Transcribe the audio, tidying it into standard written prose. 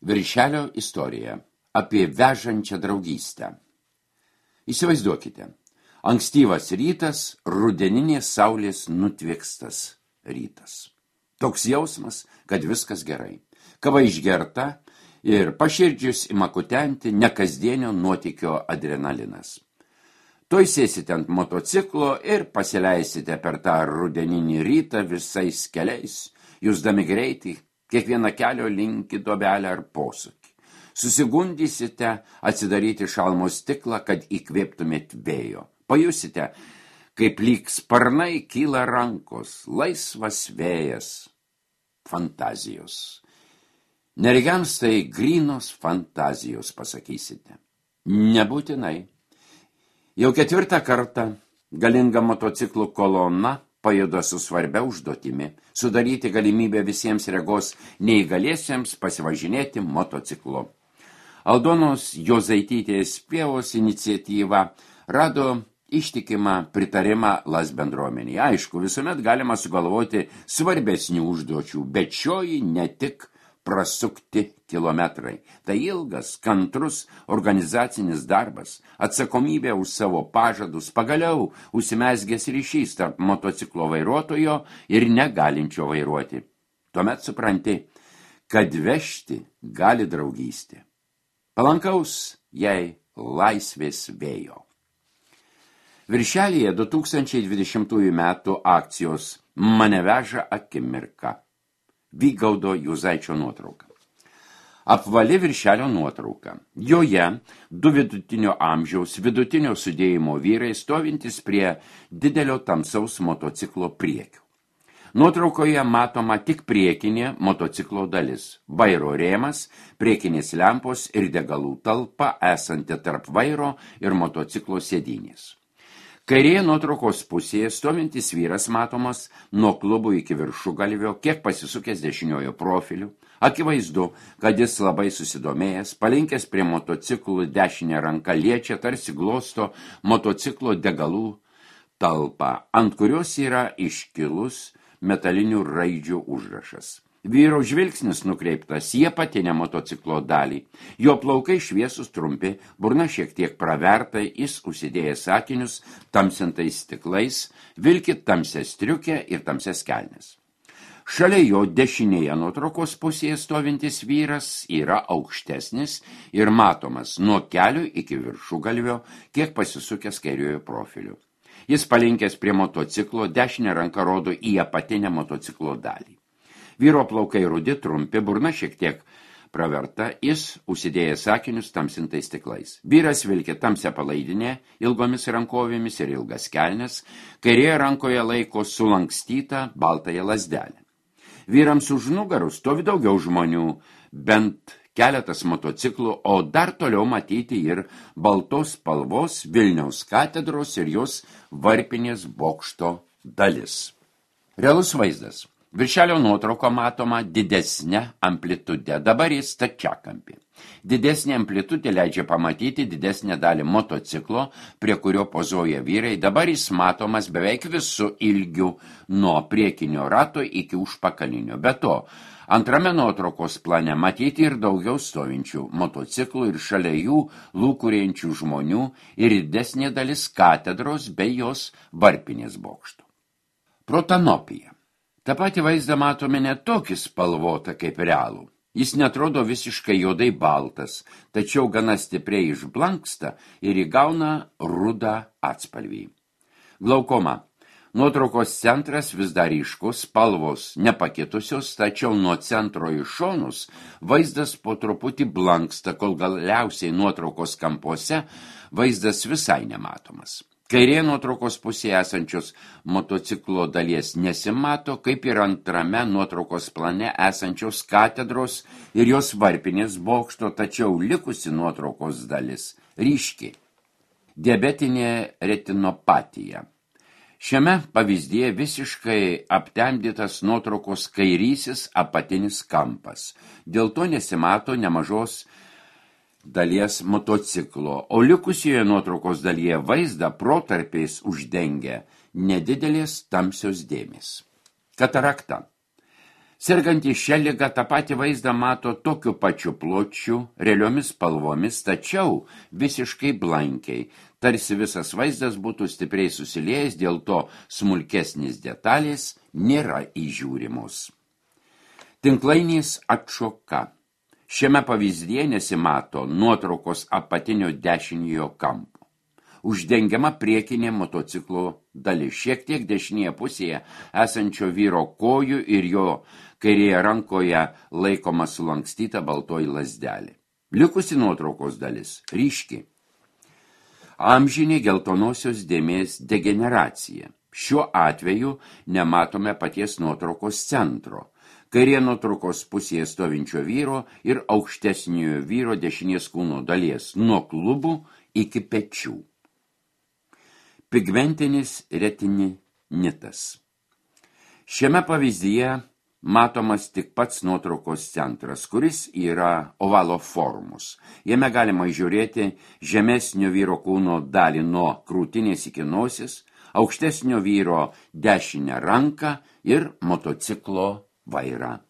Viršelio istorija apie vežančią draugystę. Įsivaizduokite, ankstyvas rytas, rudeninės saulės nutviekstas rytas. Toks jausmas, kad viskas gerai. Kava išgerta ir paširdžius ima kutenti nekasdienio nuotykio adrenalinas. Tuoj sėsite ant motociklo ir pasileisite per tą rudeninį rytą visais keliais, jusdami greitį, kiekvieną kelio linkį duobelę ar posūkį. Susigundysite atsidaryti šalmo stiklą, kad įkvėptumėt vėjo. Pajusite, kaip lyg sparnai kyla rankos, laisvas vėjas, fantazijos. Neregiams tai grynos fantazijos, pasakysite. Nebūtinai. Jau 4 kartą galinga motociklų kolona pajuda su svarbia užduotimi sudaryti galimybę visiems regos neįgaliesiems pasivažinėti motociklu. Aldonos Jozaitytės Pievos iniciatyva rado ištikimą pritarimą LAS bendruomenėje. Aišku, visuomet galima sugalvoti svarbesnių užduočių, bet šioji ne tik prasukti kilometrai. Tai ilgas, kantrus organizacinis darbas, atsakomybė už savo pažadus, pagaliau užsimezgęs ryšys tarp motociklo vairuotojo ir negalinčio vairuoti. Tuomet supranti, kad vežti gali draugystė. Palankaus jai laisvės vėjo. Viršelyje 2020 metų akcijos Mane veža akimirka. Vygaudo Juzaičio nuotrauka. Apvali viršelio nuotrauka. Joje 2 vidutinio amžiaus, vidutinio sudėjimo vyrai stovintis prie didelio tamsaus motociklo priekių. Nuotraukoje matoma tik priekinė motociklo dalis. Vairo rėmas, priekinės lempos ir degalų talpa esanti tarp vairo ir motociklo sėdynės. Kairėje nuotraukos pusėje stovintis vyras matomas nuo klubų iki viršugalvio, kiek pasisukęs dešiniojo profiliu. Akivaizdu, kad jis labai susidomėjęs, palinkęs prie motociklų dešinę ranką liečia, tarsi glosto motociklo degalų talpą, ant kurios yra iškilus metalinių raidžių užrašas. Vyro žvilgsnis nukreiptas į apatinę motociklo dalį. Jo plaukai šviesus trumpi, burna šiek tiek praverta, jis užsidėjęs akinius tamsintais stiklais, vilki tamsią striukę ir tamsias kelnes. Šalia jo dešinėje nuotraukos pusėje stovintis vyras yra aukštesnis ir matomas nuo kelių iki viršugalvio, kiek pasisukęs kairiojo profiliu. Jis palinkęs prie motociklo, dešinę ranką rodo į apatinę motociklo dalį. Vyro plaukai rudi, trumpi, burna šiek tiek praverta, jis užsidėjęs akinius tamsintais stiklais. Vyras vilki tamsią palaidinę, ilgomis rankovėmis ir ilgas kelnes, kairėje rankoje laiko sulankstytą baltąją lazdelę. Vyrams už nugarų stovi daugiau žmonių, bent keletas motociklų, o dar toliau matyti ir baltos spalvos Vilniaus katedros ir jos varpinės bokšto dalis. Realus vaizdas. Viršelio nuotrauko matoma didesnė amplitude, dabar jis stačiakampė. Didesnė amplitudė leidžia pamatyti didesnę dalį motociklo, prie kurio pozuoja vyrai, dabar jis matomas beveik visų ilgių nuo priekinio rato iki užpakalinio. Be to, antrame nuotraukos plane matyti ir daugiau stovinčių motociklų ir šalia jų lūkuriančių žmonių ir didesnė dalis katedros bei jos varpinės bokšto. Protanopija. Ta pati vaizdą matome ne tokį spalvotą kaip realų. Jis netrodo visiškai juodai baltas, tačiau gana stipriai išblanksta ir įgauna rudą atspalvį. Glaukoma. Nuotraukos centras vis dar ryškus, spalvos nepakitusios, tačiau nuo centro į šonus vaizdas po truputį blanksta, kol galiausiai nuotraukos kampuose vaizdas visai nematomas. Kairėje nuotraukos pusėje esančios motociklo dalies nesimato, kaip ir antrame nuotraukos plane esančios katedros ir jos varpinės bokšto, tačiau likusi nuotraukos dalis ryški. Diabetinė retinopatija. Šiame pavyzdyje visiškai aptemdytas nuotraukos kairysis apatinis kampas. Dėl to nesimato nemažos dalies motociklo, o likusioje nuotraukos dalyje vaizdą protarpiais uždengia nedidelės tamsios dėmės. Katarakta. Sergantys šią ligą tą patį vaizdą mato tokiu pačiu pločiu, realiomis spalvomis, tačiau visiškai blankiai, tarsi visas vaizdas būtų stipriai susiliejęs, dėl to smulkesnis detalės nėra įžiūrimos. Tinklainės atšoka. Šiame pavyzdyje nesimato nuotraukos apatinio dešiniojo kampo. Uždengiama priekinė motociklo dalis, šiek tiek dešinėje pusėje esančio vyro kojų ir jo kairėje rankoje laikoma sulankstyta baltoji lazdelė. Likusi nuotraukos dalis ryški. Amžinė geltonosios dėmės degeneracija. Šiuo atveju nematome paties nuotraukos centro. Kairė nuotraukos pusėje stovinčio vyro ir aukštesniojo vyro dešinės kūno dalies nuo klubų iki pečių. Pigmentinis retinitas. Šiame pavyzdyje matomas tik pats nuotraukos centras, kuris yra ovalo formos. Jame galima įžiūrėti žemesnio vyro kūno dalį nuo krūtinės iki nosis, aukštesnio vyro dešinę ranką ir motociklo vairą.